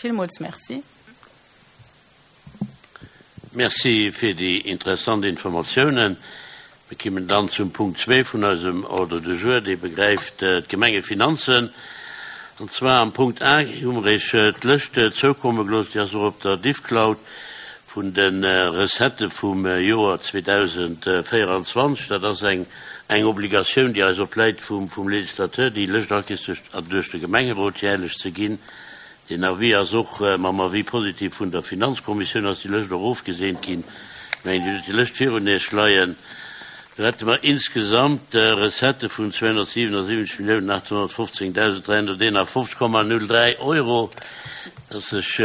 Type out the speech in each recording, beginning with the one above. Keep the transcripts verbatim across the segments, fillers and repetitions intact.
Villmools Merci. Merci fir déi interessant Informatiounen. Mir kommen dann zum Punkt zwee vun eisem Ordre du jour, dee begräift d'Gemengefinanzen. An zwar am Punkt A hu mer Iech d'Lëscht zoukomme gelooss, déi ass och op der Diffcloud, vun de Recettë vum Joer zweedausendvéieranzwanzeg. Dat ass eng eng Obligatioun, déi eis opläit vum vum Législateur, déi Lëscht all Kéiers duerch duerch de Gemengerot jährlech ze ginn. Deen Avis ass och mam Avis positif vun der Finanzkommissioun ass déi Lëscht och ofgeseent ginn. Ech mengen, Dir hutt déi Lëscht virun Iech leien. Do hätte mer insgesamt Recettë vun zweehonnertsiwenasiwwenzeg Milliounen aachthonnertfofzéngdausend dräihonnerteenafofzeg Komma null dräi Euro. Dass ech,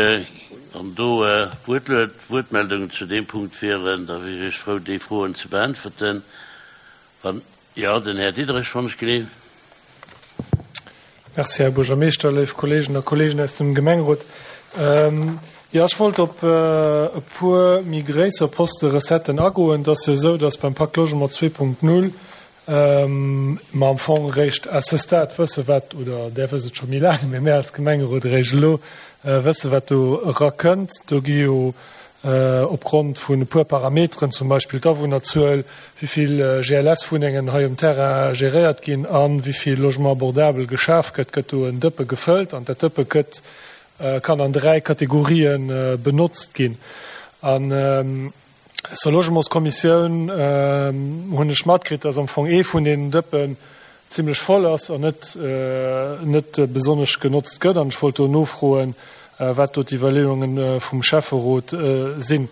wann do Wuertmeldungen zu deem Punkt wieren, da wier ech frou, déi Froen ze beäntwerten. Wann jo, den Här Diderich, wann ech geleeën. Merci, Här Buergermeeschter, léif Kolleegen a Kolleegen aus dem Gemengerot. Jo, ech wollt op e puer méi gréisser Poste Recetten agoen. Et ass jo esou, dass beim Pacte Logement zwee Punkt null mer am Fong eréischt à ce stade wësse wat, oder Där wësst et scho méi laang, mä mär als Gemengerot eréischt elo wësse wat do erakënnt. Do gi jo opgrond vun e puer Parameteren, zum Beispill d'Awunnerzuel, wéi vill G L S-Wunnengen hei um Terrain geréiert ginn a wéi vill Logement abordable geschaf gëtt, gëtt do en Dëppe gefëllt an dat Dëppe gëtt, kann an dräi Kategorien benotzt ginn. An aus der Logementskommissioun hunn ech matkritt, dass am Fong ee vun deenen Dëppen zimlech voll ass an net net besonnesch genotzt gëtt. An ech wollt do nofroen, wat do d'Iwwerleeunge vum Schäfferot sinn.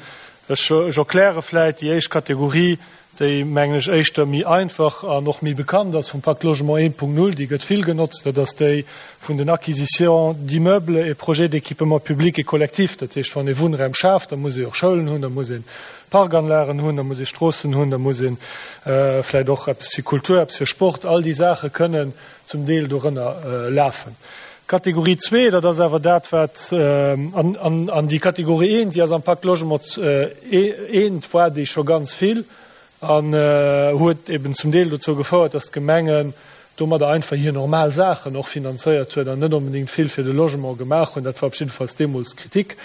Ech erkläre vläit déi éischt Kategorie, déi, mengen ech, éischter méi einfach an och méi bekannt ass vum Pacte Logement eent Punkt null, déi gëtt vill genotzt, dat ass déi vun den Acquisitions d'immeubles et projets d'équipement public et collectif. Dat heescht, wann ee Wunnraum schaaft, da muss ee och Schoulen hunn, da muss ee Parkanlagen hunn, da muss ee Stroossen hunn, da muss ee vläicht och eppes fir Kultur, eppes fir Sport. All déi Saache kënnen zum Deel dorënner lafen. Kategorie zwee, dat ass awer dat, wat, an, an, an déi Kategorie eent, déi ass am Pacte Logement eent, war déi scho ganz vill an huet eben zum Deel dozou gefouert, dass d'Gemengen domadder einfach hir normal Saachen och finanzéiert huet an net onbedéngt vill fir de Logement gemaach hunn. Dat war op jiddefalls deemools d'Kritik.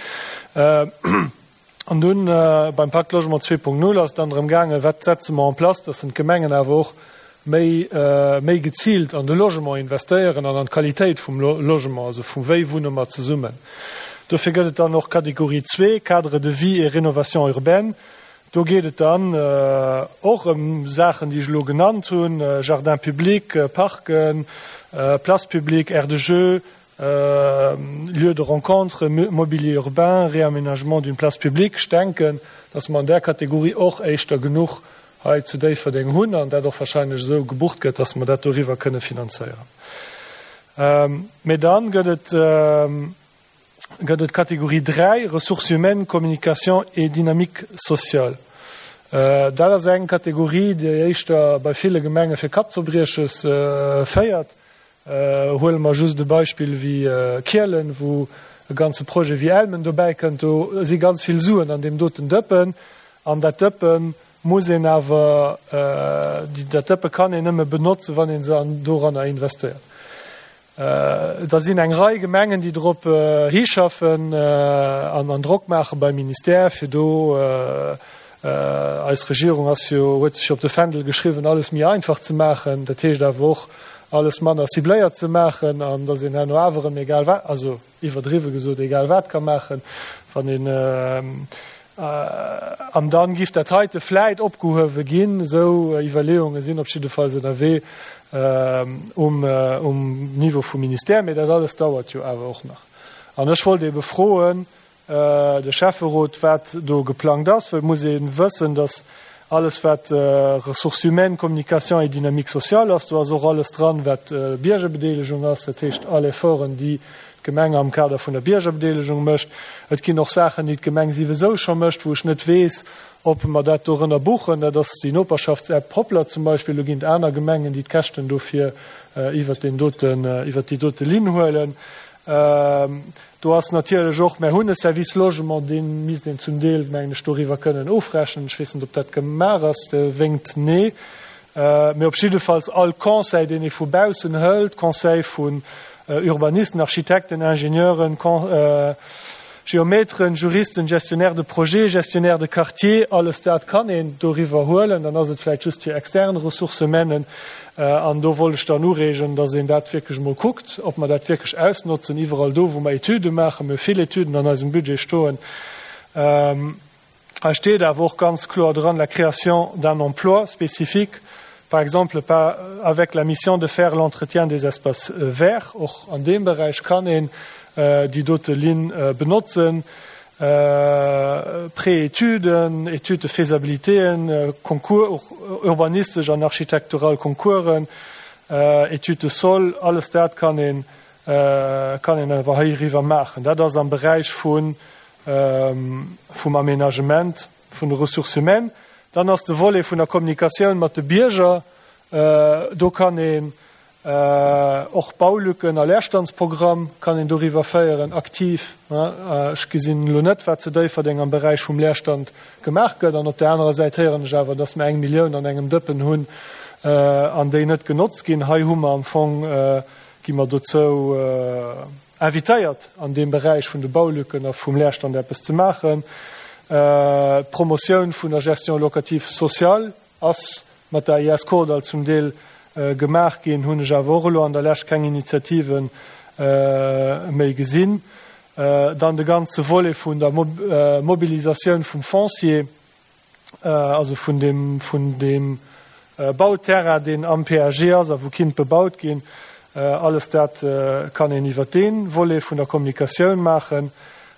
An dunn beim Pacte Logement zwee Punkt null ass et dann drëm gaangen, wat setze mer en place, dass d'Gemengen awer och méi, méi geziilt an de Logement investéieren an an d'Qualitéit vum Logement, also vu wéi wunne mer zesummen. Dofir gëtt et dann och Kategorie zwee, Cadre de vie et rénovation urbaine. Do geet et dann och ëm Saachen, déi ech elo genannt hunn, Jardins publics, Parken, Places publiques, aires de jeu, lieux de rencontre, mobilier urbain, réaménagement d'une place publique. Ech denken, dass mer an där Kategorie och éischter genuch hei zu Déifferdeng hunn an dat och wahrscheinlech esou gebucht gëtt, dass mer dat doriwwer kënne finanzéieren. Mee dann gëtt et gëtt et d'Kategorie dräi, Ressources humaines, communication et dynamique sociale. Dat ass eng Kategorie, déi éischter bei ville Gemenge fir Kappzerbrieches féiert. Huele mer just e Beispill wéi Kielen, wou e ganze Projet wéi Elmen dobäi kënnt. Do si ganz vill Suen an deem doten Dëppen. An dat Dëppe muss een awer, dat Dëppe kann een nëmme benotzen, wann ee se doranner investéiert. Da sinn eng Rei Gemengen, déi drop hischaffen an an Drock maache beim Ministère, fir do, eis Regierung ass jo, huet sech jo op de Fändel geschriwwen, alles méi einfach ze maachen, dat heescht awer och alles manner cibléiert ze maachen an datt een herno awer erëm egal wat, also iwwerdriwwe gesot, egal wat ka maachen, wann een, an dann giff dat heite vläit opgehuewe ginn. Esou Iwwerleeunge sinn op jiddefalls ënnerwee um um Niveau vum Ministère, mee dat alles dauert jo awer och nach. An ech wollt ebe froen de Schäfferot, wat do geplangt ass, well et muss ee wëssen, datt alles wat Ressources humaines, communication et dynamique sociale ass, do ass och alles dran, wat Biergerbedeelegung ass, dat heescht all Efforten, déi d'Gemeng am Kader vun der Biergerbedeelegung mécht. Et ginn och Saachen, déi d'Gemeng siwesou scho mécht, wou ech net weess, ob mer dat dorënner buchen. Dat ass déi Noperschaftsapp Hoplr zum Beispill. Do ginn et aner Gemengen, déi d'Käschten dofir iwwert deen doten, iwwert déi dote Linn huelen. Do ass natierlech och, mer hunn e Service Logement, dee misst een zum Deel, mengen ech, doriwwer kënnen ofrechnen. Ech weess net, ob dat gemaach ass. De wénkt nee. Mee op jiddefalls all Conseil, deen ee vu baussen hëlt, Conseil vun Urbanisten, Architekten, Ingenieuren, Geometeren, Juristen, Gestionnaires de projet, Gestionnaires de quartier, alles dat kann een doriwwer huelen. Dann ass et vläicht just fir extern Ressources humaines. An do wollt ech dann ureegen, dass een dat wierklech emol kuckt, ob mer dat wierklech ausnotzen, iwwerall do, wou mer Etüde maachen. Mir hu vill Etüden an eisem Budget stoen. Hei steet awer och ganz kloer dran, la création d'un emploi spécifique, par exemple par avec la mission de faire l'entretien des espaces verts. Och an deem Beräich kann een déi dote Linn benotzen, Pré-Etüden, Études de faisabilitéen, Concours, urbanistesch an architektural Concoursen, Études de sol, alles dat kann een, kann een awer heiriwwer maachen. Dat ass am Beräich vun, vum Aménagement vun de Ressources humaines. Dann ass de Volet vun der Kommunikatioun mat de Bierger. Do kann een och Baulücken a Leerstandsprogramm kann een doriwwer féieren, aktiv. Ech gesinn elo net, wat zu Déifferdeng am Beräich vum Leerstand gemaach gëtt. An op där anerer Säit héieren ech awer, dass mer eng Millioun an engem Dëppen hunn an déi net genotzt ginn. Hei hu mer am Fong, gi mer dozou invitéiert, an deem Beräich vun de Baulücken a vum Leerstand eppes ze maachen. D'Promotioun vun der Gestion locative sociale ass mat der I S Kordall zum Deel gemaach ginn, hunn ech awer och elo an der Lescht keng Initiative méi gesinn. Dann de ganze Volet vun der Mobilisatioun vum Foncier, also vun deem, vun deem Bauterrain, deen am P A G ass a wou kinnt bebaut ginn. Alles dat kann een iwwert dee Volet vun der Kommunikatioun maachen.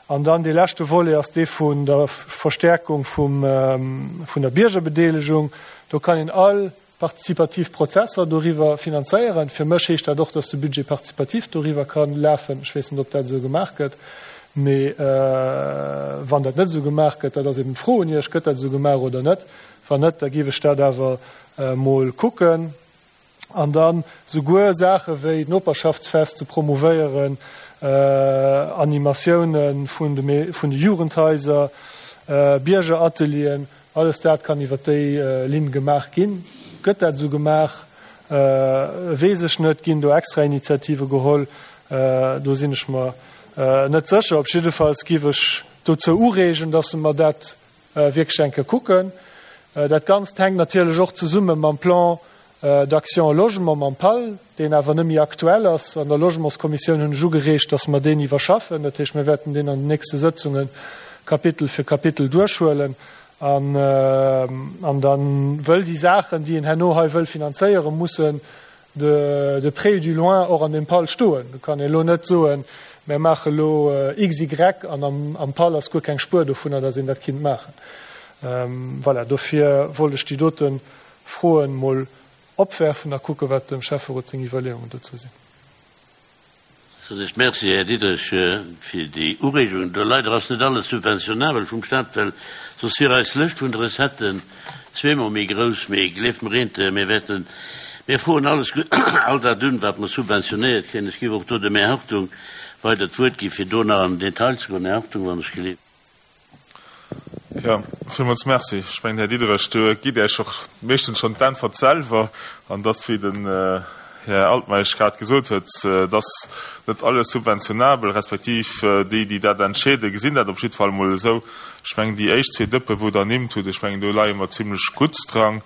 An dann dee leschte Volet ass dee vun der Verstärkung vum, vun der Biergerbedeelegung. Do kann een all partizipativ Prozesser doriwwer finanzéieren. Fir mech heescht dat och, dass de Budget participatif doriwwer ka lafen. Ech weess net, ob dat esou gemaach gëtt. Mee wann dat net esou gemaach gëtt, dat ass eben d'Fro un Iech, gëtt dat esou gemaach oder net? Wann net, da géif ech dat awer emol kucken. An dann souguer Saache wéi d'Noperschaftsfest ze promouvéieren, Animatioune vun de vun de Jugendhaiser, Biergeratelieren, alles dat kann iwwer déi Linn gemaach ginn. Gëtt dat esou gemaach? Weess ech net. Ginn do extra Initiative geholl? Do sinn ech mer net sécher. Op jiddefalls géif ech dozou ureegen, dass mer dat wierklech eng Kéier kucken. Dat Ganzt hänkt natierlech och zesumme mam Plan d'action logement, mam PAL, deen awer net méi aktuell ass. An der Logementskommissioun hunn ech ugereegt, dass mer deen iwwerschaffen. Dat heescht, mir wäerten deen an den nächste Sëtzunge Kapitel fir Kapitel duerchhuelen. An, an dann wëll déi Saachen, déi een herno hei wëll finanzéieren, mussen de, de près ou du loin och an deem PAL stoen. Do kann ee elo net soen, mir maache elo X Y an am, am PAL ass guer keng Spuer dovunner, dass een dat kinnt maachen. Voilà, dofir wollt ech déi dote Froen mol opwerfen a kucke wat dem Schäfferot seng Iwwerleeungen dozou sinn. Soen ech Merci, Här Diderich, fir déi Ureegung. Do leider ass net alles subventionabel vum Staat, well soss wier eis Lëscht vun de Recetten zweemol méi grouss. Mee gleeft mer eent, mir wäerten, mir froen alles, all dat un, wat mer subventionéiert kréien. Ech géif och do dem Här Hartung weider d'Wuert gi fir do nach an den Detail ze goen. Här Hartung, wann ech geleeft. Jo, villmools Merci. Ech mengen, Här Diderich, do gitt Iech och meeschtens schonn d'Äntwert selwer, an dass, wéi den Här Altmeisch grad gesot huet, dass net alles subventionabel, respektiv déi, déi dat entscheeden, gesinn dat op jidde Fall emol esou. Ech mengen, déi éischt zwee Dëppe wou Der ernimmt hutt, ech mengen, do leie mer zimlech gutt dran.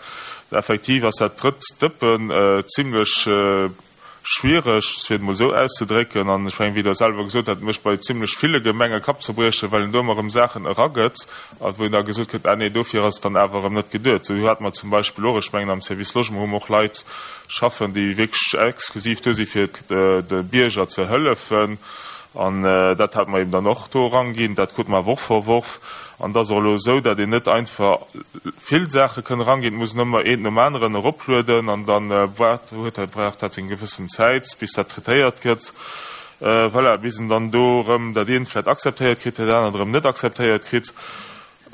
Effektiv ass dat drëtt Dëppen zimlech schwiereg, fir et emol esou auszedrécken. An ech mengen, wéi Der selwer gesot hutt, mécht bei zimlech ville Gemenge Kappzerbrieche, well een do ëmmer erëm Saachen eragëtt a wou een da gesot kritt, ah nee, dofir ass et dann awer erëm net geduet. Esou hate mer zum Beispill och, ech mengen am Service Logement hu mer och Leit schaffen, déi wierklech exklusiv do si fir de Bierger ze hëllefen. An dat hate mer eben dann och do eranginn. Dat krute mer awer och verworf. An et ass och elo esou, datt een net einfach vill Saache kënn eranginn, et muss een ëmmer eent nom aneren eroplueden an dann huet dat, brauch dat seng gewëssen Zäit, bis dat traitéiert gëtt. Voilà, bis en dann do erëm dat eent vläicht akzeptéiert kritt, dat anert erëm net akzeptéiert kritt.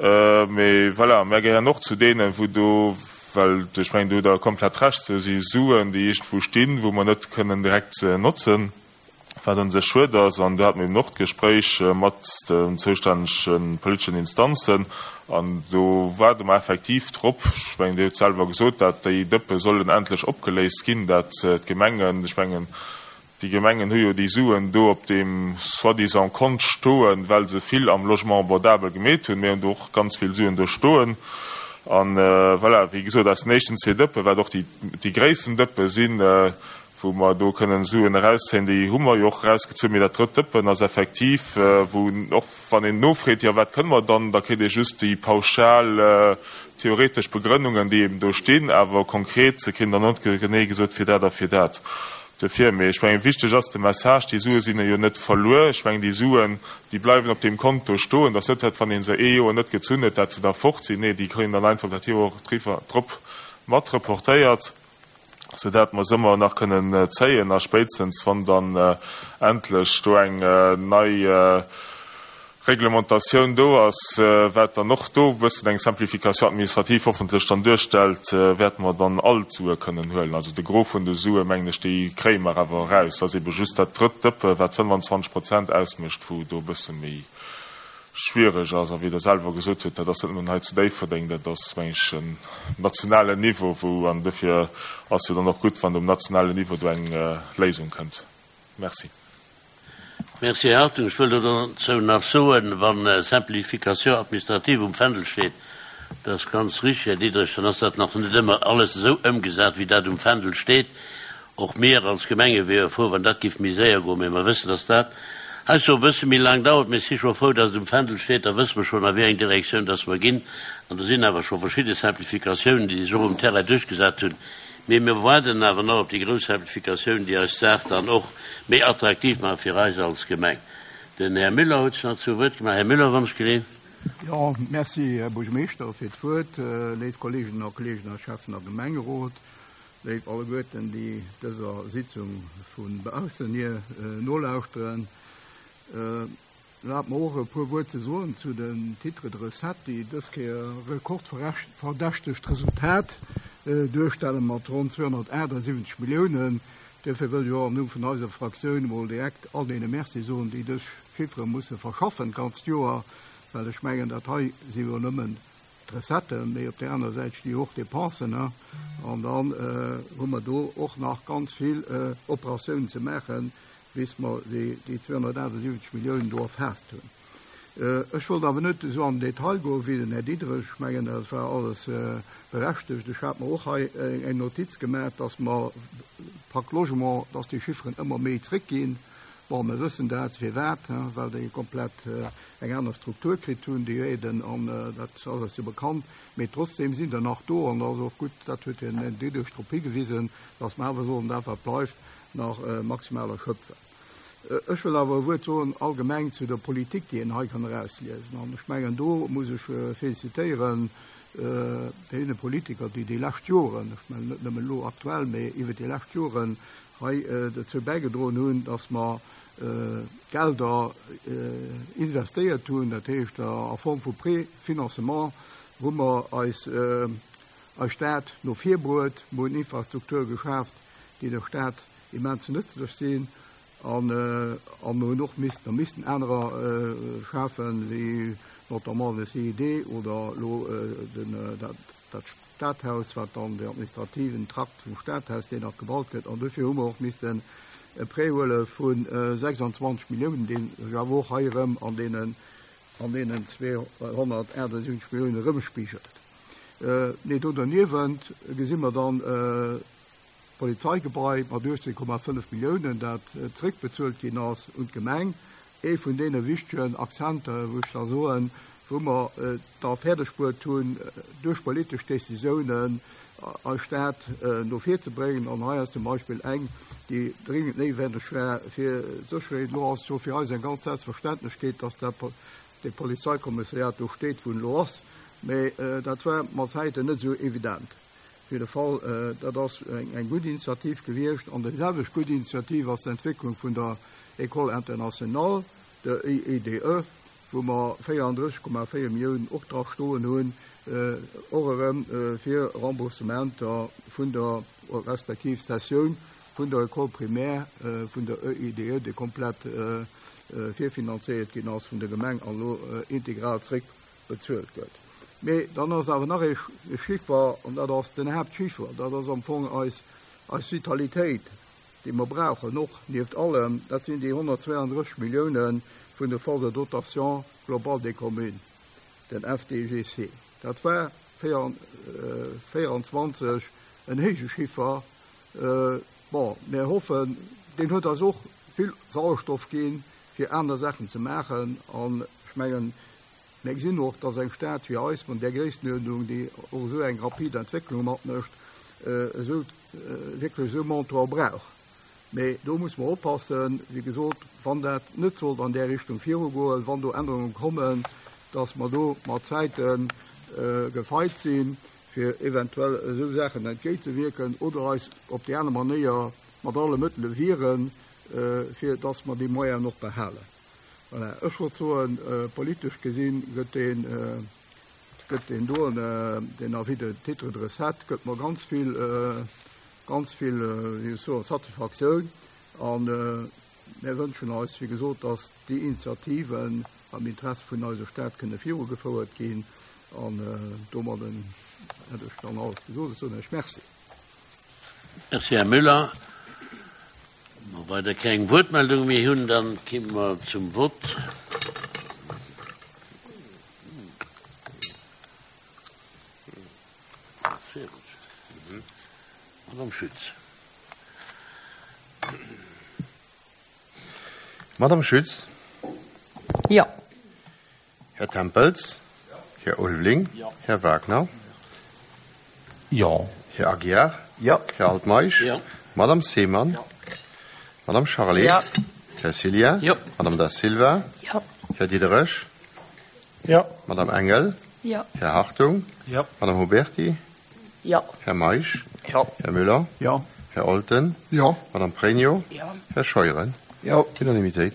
Mee voilà, mär gehéieren och zu deenen, wou do, well ech mengen, do hutt Der komplett Recht, do si Suen, déi iergendwou stinn, wou mer net kënnen direkt notzen, wat un sech schued ass. An do hate mer eben och d'Gespréich mat den zoustännege politeschen Instanzen. An do waarde mer effektiv drop, ech mengen, Dir hutt selwer gesot, dat déi Dëppe sollen endlech opgeléist ginn, dat d'Gemengen, ech mengen, Déi Gemengen hu jo déi Suen do op deem soi-disant Kont stoen, well se vill am Logement abordable gemeet hunn. Mir hunn do och ganz vill Suen do stoen. An voilà, wéi gesot, aus den éischten zwee Dëppe, wat och déi, déi gréissten Dëppe sinn, wou mer do kënnen Suen erauszéien, déi hu mer jo och erausgezunn. Mee dat drëtt Dëppen ass effektiv, wou och wann een nofreet, jo wat kënne mer dann, da kritt ee just déi pauschal theoretesch Begrënnungen, déi eben do stinn, awer konkret kritt een dann net genee gesot, fir dat a fir dat. Dofir, mee ech mengen, wichteg ass de Message, déi Sue sinn jo net verluer. Ech mengen, déi Suen, déi bleiwen op deem Konto stoen. Dat ass net dat, wann ee se ee Joer net gezunn huet, dat se da fort sinn. Nee, déi kréien dann einfach dat Joer driwwer, drop mat reportéiert, soudatt mer se ëmmer nach kënnen zéien. A spéitstens, wann dann endlech do eng nei Reglementatioun do ass, wat dann och do e bëssen eng Simplification administrative hoffentlech dann duerstellt, wäerte mer dann all d'Sue kënnen huelen. Also de Gros vun de Sue, mengen ech, déi kréie mer awer eraus. Et ass ebe just dat drëtt Dëppe, wat fënnefanzwanzeg Prozent ausmécht, wou do e bësse méi schwiereg ass. A wéi Der selwer gesot hutt, dat ass net nëmmen hei zu Déifferdeng, dat ass, meng ech, en nationalen Niveau, wou, an dofir ass jo dann och gutt, wann um nationalen Niveau do eng Léisung kënnt. Merci. Merci, Här Hartung. Ech wëll dozou nach soen, wa Simplification administrative um Fändel steet, dat ass ganz richtig, Här Diderich, dann ass dat nach net ëmmer alles esou ëmgesat, wéi dat um Fändel steet. Och mir als Gemenge wiere frou, wann dat géif méi séier goen, mä mer wëssen, dass dat heiansdo e bësse méi laang dauert. Mir si scho frou, dass et um Fändel steet, da wësse mer schonn, a wéi eng Direktioun dass mer ginn. An do sinn awer scho verschidde Simplificatiounen, déi sech och um Terrain duerchgesat hunn. Mee mir waarden awer nach op déi grouss Simplificatioun, déi eis d'Saach dann och méi attraktiv maacht fir eis als Gemeng. Den Här Müller huet sech nach zu Wuert gemaach. Här Müller, wann ech geleeën. Jo, merci, Här Buergermeeschter, fir d'Wuert. Léif Kolleeginnen a Kolleegen a Schäffen a Gemengerot, léif alleguerten, déi dëser Sitzung vu baussen hier nolauschteren. Erlaabt mer och e puer Wuert ze soen zu den Titres de recettes, déi dës Kéier e rekordverdächtegt Resultat duerstelle mat ronn zweehonnertaachtsiwwenzeg Milliounen. Duerfir wëll ech och am Numm vun eiser Fraktioun emol direkt all deene Merci soen, déi dës Chiffere musse verschaffen d'ganzt Joer, well ech mengen, dat hei si jo nëmmen d'Recetten, mee op där aner Säit sti jo och Dépensen, an dann hu mer do och nach ganz vill Operatiounen ze maachen, bis mer déi zweehonnertaachtsiwwenzeg Milliounen do erfaasst hunn. Ech wollt awer net esou an den Detail goen wéi den Här Diderich. Ech mengen, dat war alles berechtegt. Ech hat mer och hei eng Notiz gemaach, dass mer Pacte Logement, dass déi Chifferen ëmmer méi zréckginn. Bon, mir wëssen dat, firwat, well déi komplett eng aner Struktur kritt hunn, déi Aiden, an dat ass eis jo bekannt. Mee trotzdem sinn der nach do, an dat ass och gutt, dat huet den Här Diderich drop higewisen, dass mer awer sollen dat, wat bleift, nach maximal erschöpfen. Ech wëll awer e Wuert soen allgemeng zu der Politik, déi een hei kann erausliesen. An ech mengen, do muss ech félicitéieren deene Politiker, déi déi lescht Joren, ech mengen net nëmmen elo aktuell, mee iwwer déi lescht Joren hei dozou bäigedroen hunn, dass mer Gelder investéiert hunn, dat heescht a Form vu Préfinancement hu mer eis eis Stad no vir bruet, mer hunn Infrastruktur geschaaft, déi der Stad immens nëtzlech sinn, an a mer hunn och missten a missten anerer schafen, wéi notamment de C I D oder elo den dat dat Stadhaus, wat dann de administrativen Trakt vum Stadhaus, deen nach gebaut gëtt. An dofir hu mer och missten e Prêt huele vu sechsanzwanzeg Milliounen, dee sech awer och hei erëm an deenen an deenen zweehonnertaachtsiwwenzeg Milliounen erëmspigelt. Nee, do derniewent gesi mer dann d'Polizeigebai mat uechtzéng Komma fënnef Milliounen, dat zréckbezuelt ginn ass un d'Gemeng. Ee vun deene wichtegen Akzenter, wou ech da soen, wou mer et da fäerdegbruet hunn, duerch politesch Décisiounen eis Stad no vir ze bréngen. An hei ass zum Beispill eng, déi dringend néiwendeg war fir d'Sécherheet. Elo ass et jo fir eis eng ganz Selbstverständlechkeet, dass dat dee Polizeikommissariat do steet, wou en elo ass. Mä dat war mat Zäiten net esou evident. Op jidde Fall, dat ass eng gutt Initiativ gewiescht. An déi selwecht gutt Initiativ ass d'Entwécklung vun der École internationale, der E I D E, wou mer véierandrësseg Komma véier Milliounen och dra stoen hunn, och erëm fir Remboursementer vun der, respektiv Cessioun vun der École primaire vun der E I D E, déi komplett virfinanzéiert ginn ass vun der Gemeng an elo integral zréckbezuelt gëtt. Mee dann ass awer nach ee Chiffer, an dat ass den Haaptchiffer, dat ass am Fong eis, eis Vitalitéit, déi mer brauchen, och nieft allem, dat sinn déi honnertzweiandrësseg Milliounen vun de Fonds de dotation globale des communes, den F D G C. Dat war véieranzwanzeg en héije Chiffer. Bon, mir hoffen, deen huet eis och vill Sauerstoff ginn, fir aner Saachen ze maachen. An ech mengen, mir gesinn och, dass eng Stad wéi eis, mat där Gréisstenuerdnung, déi och esou eng rapid Entwécklung matmécht, esou wierklech esou Montant brauch. Mee do muss mer oppassen, wéi gesot, wann dat net sollt an där Richtung virugoen, wann do Ännerungen kommen, dass mer do mat Zäiten gefeit sinn, fir eventuell esou Saachen entgéintzewierken oder eis op déi aner Manéier mat alle Mëttele wieren, fir dass mer déi Moyenen och behalen. Voilà. Ech wollt soen, politesch gesinn gëtt deen, gëtt deen doen, den Avis de titre de recette gëtt mer ganz vill, ganz vill, wéi ech soen, Satisfaktioun. An mir wënschen eis, wéi gesot, dass déi Initiativen am Interesse vun eiser Stad kënne virugefouert ginn. An domadden hätt ech dann alles gesot. Ech soen Iech Merci. Merci, Här Müller. Wa mer weider keng Wuertmeldung méi hunn, dann komme mer zum Vott. Madame Schütz. Madame Schütz. Ja. Herr Tempels. Herr Ulvling. Ja. Herr Wagner. Ja. Herr Aguiar. Ja. Herr Altmaisch. Ja. Madame Seemann. Ja. Madame Charlet. Ja. Herr Silja. Ja. Madame da Silva. Ja. Herr Diderich. Ja. Madame Engel. Ja. Herr Hartung. Ja. Madame Huberti. Ja. Herr Maisch. Ja. Herr Müller. Ja. Herr Olten. Ja. Madame Pregno. Ja. Herr Scheuren. Ja. Unanimitéit.